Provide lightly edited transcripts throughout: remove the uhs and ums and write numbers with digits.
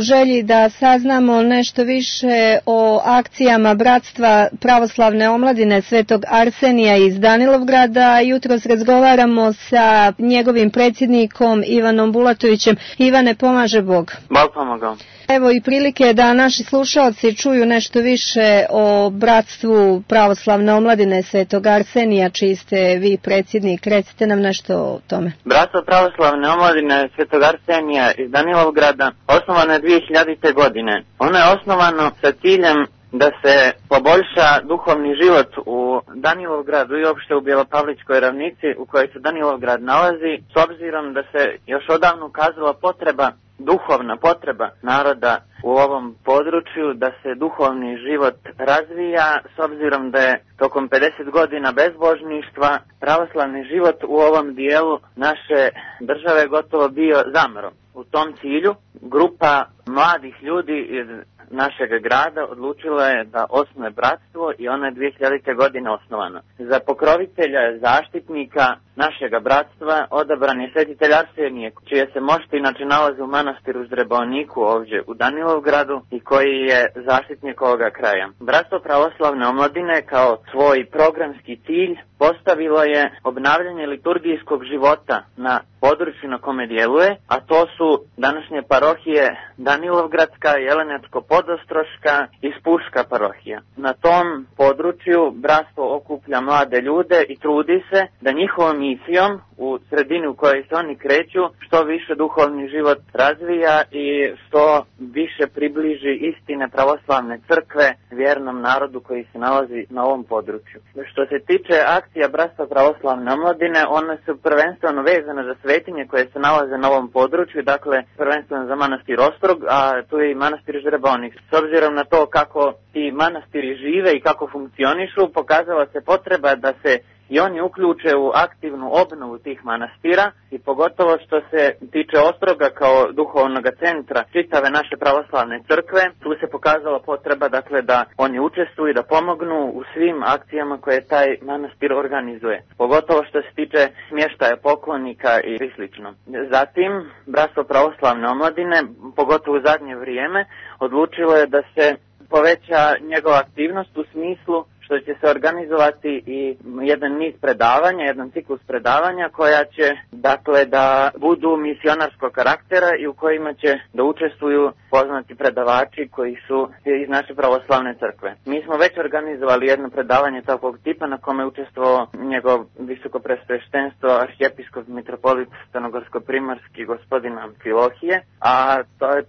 želji da saznamo nešto više o akcijama Bratstva pravoslavne omladine Svetog Arsenija iz Danilovgrada. Jutros razgovaramo sa njegovim predsjednikom Ivanom Bulatovićem. Ivane, pomaže Bog. Bog pomogao. Evo i prilike da naši slušalci čuju nešto više o Bratstvu pravoslavne omladine Svetog Arsenija, čiji ste vi predsjednik. Recite nam nešto o tome. Bratstvo pravoslavne omladine Svetog Arsenija iz Danilovgrada osnovano je 2000. godine. Ono je osnovano sa ciljem da se poboljša duhovni život u Danilovgradu i uopšte u Bjelopavličkoj ravnici u kojoj se Danilovgrad nalazi, s obzirom da se još odavno ukazala potreba, duhovna potreba naroda u ovom području, da se duhovni život razvija, s obzirom da je tokom 50 godina bezbožništva pravoslavni život u ovom dijelu naše države gotovo bio zamro. U tom cilju grupa mladih ljudi iz našeg grada odlučila je da osnuje bratstvo i ono je 2000. godine osnovano. Za pokrovitelja, zaštitnika našega bratstva odabran je svetitelj Arsenije, čije se mošti inače nalaze u manastiru Ždrebovniku ovdje u Danilovgradu i koji je zaštitnik ovoga kraja. Bratstvo pravoslavne omladine kao svoj programski cilj postavilo je obnavljanje liturgijskog života na području na kome djeluje, a to su današnje parohije Danilovgradska, Jelenečko-Podostroška i Spuška parohija. Na tom području bratstvo okuplja mlade ljude i trudi se da njihovom misijom u sredini u kojoj se oni kreću što više duhovni život razvija i što više približi istine pravoslavne crkve vjernom narodu koji se nalazi na ovom području. Što se tiče akcija Bratstva pravoslavne omladine, one su prvenstveno vezane za svetinje koje se nalaze na ovom području, dakle prvenstveno za manastir Ostrog, a tu je i manastir Ždrebovnik. S obzirom na to kako ti manastiri žive i kako funkcionišu, pokazala se potreba da se i oni uključe u aktivnu obnovu tih manastira i pogotovo što se tiče Ostroga kao duhovnog centra čitave naše pravoslavne crkve, tu se pokazala potreba dakle da oni učestvuju i da pomognu u svim akcijama koje taj manastir organizuje. Pogotovo što se tiče smještaja poklonika i slično. Zatim, Bratstvo pravoslavne omladine, pogotovo u zadnje vrijeme, odlučilo je da se poveća njegova aktivnost u smislu što će se organizovati i jedan niz predavanja, jedan ciklus predavanja koja će, dakle, da budu misionarskog karaktera i u kojima će da učestvuju poznati predavači koji su iz naše pravoslavne crkve. Mi smo već organizovali jedno predavanje takvog tipa na kome je učestvovao njegov visokopresveštenstvo arhijepiskop mitropolit Stanogorsko-Primorski gospodin Amfilohije, a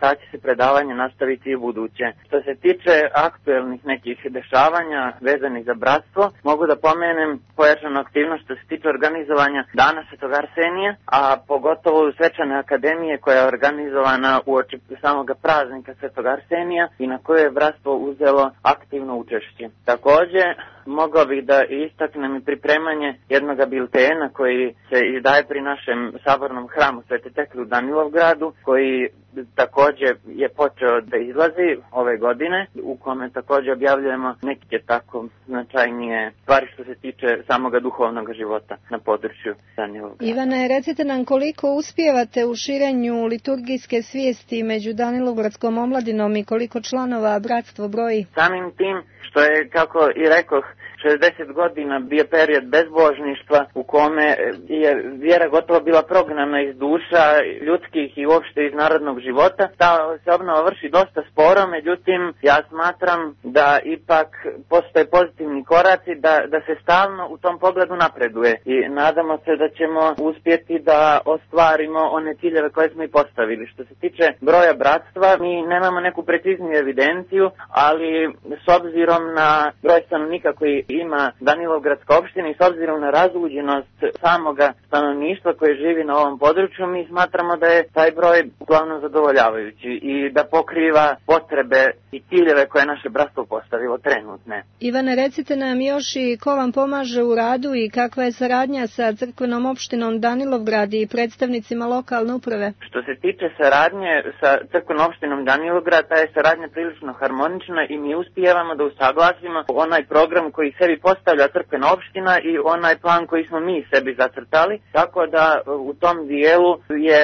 ta će se predavanje nastaviti i u buduće. Što se tiče aktuelnih nekih dešavanja vezanih za bratstvo, mogu da pomenem pojačanu aktivnost što se tiče organizovanja Dana Svetog Arsenija, a pogotovo u Svečane akademije koja je organizovana uoči samog praznika Svetog Arsenija i na kojoj je bratstvo uzelo aktivno učešće. Također, mogao bih da istaknem i pripremanje jednog biltena koji se izdaje pri našem sabornom hramu Svete Tekle u Danilovgradu, koji također je počeo da izlazi ove godine, u kome također objavljujemo neke tako značajnije stvari što se tiče samoga duhovnog života na području Danilovgrada. Ivane, recite nam koliko uspijevate u širenju liturgijske svijesti među Danilovgradskom omladinom i koliko članova bratstvo broji? Samim tim što je, kako i rekoh, 60 godina bio period bezbožništva u kome je vjera gotovo bila prognana iz duša ljudskih i uopšte iz narodnog života. Ta se obnova vrši dosta sporo, međutim ja smatram da ipak postoje pozitivni koraci, da se stalno u tom pogledu napreduje i nadamo se da ćemo uspjeti da ostvarimo one ciljeve koje smo i postavili. Što se tiče broja bratstva, mi nemamo neku precizniju evidenciju, ali s obzirom na broj stanovnika koji ima Danilovgradska opština i s obzirom na razluđenost samoga stanovništva koje živi na ovom području, mi smatramo da je taj broj uglavnom zadovoljavajući i da pokriva potrebe i ciljeve koje naše bratstvo postavilo trenutne. Ivane, recite nam još i ko vam pomaže u radu i kakva je saradnja sa crkvenom opštinom Danilovgrad i predstavnicima lokalne uprave? Što se tiče saradnje sa crkvenom opštinom Danilovgrad, ta je saradnja prilično harmonična i mi uspijevamo da usaglasimo onaj program koji sebi postavlja crkvena opština i onaj plan koji smo mi sebi zacrtali, tako da u tom dijelu je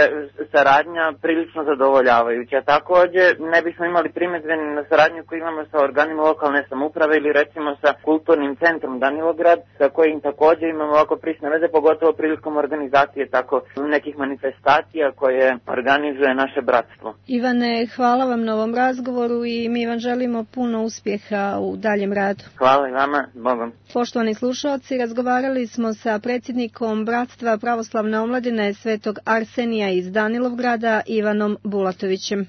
saradnja prilično zadovoljavajuća. Također ne bismo imali primjedbe na saradnju koju imamo sa organima lokalne samouprave ili recimo sa kulturnim centrom Danilograd, sa kojim također imamo ovako prisne veze, pogotovo prilikom organizacije tako nekih manifestacija koje organizuje naše bratstvo. Ivane, hvala vam na ovom razgovoru i mi vam želimo puno uspjeha u daljem radu. Hvala i vama, Bogom. Poštovani slušalci, razgovarali smo sa predsjednikom Bratstva pravoslavne omladine Svetog Arsenija iz Danilovgrada, Ivanom Bulatovićem.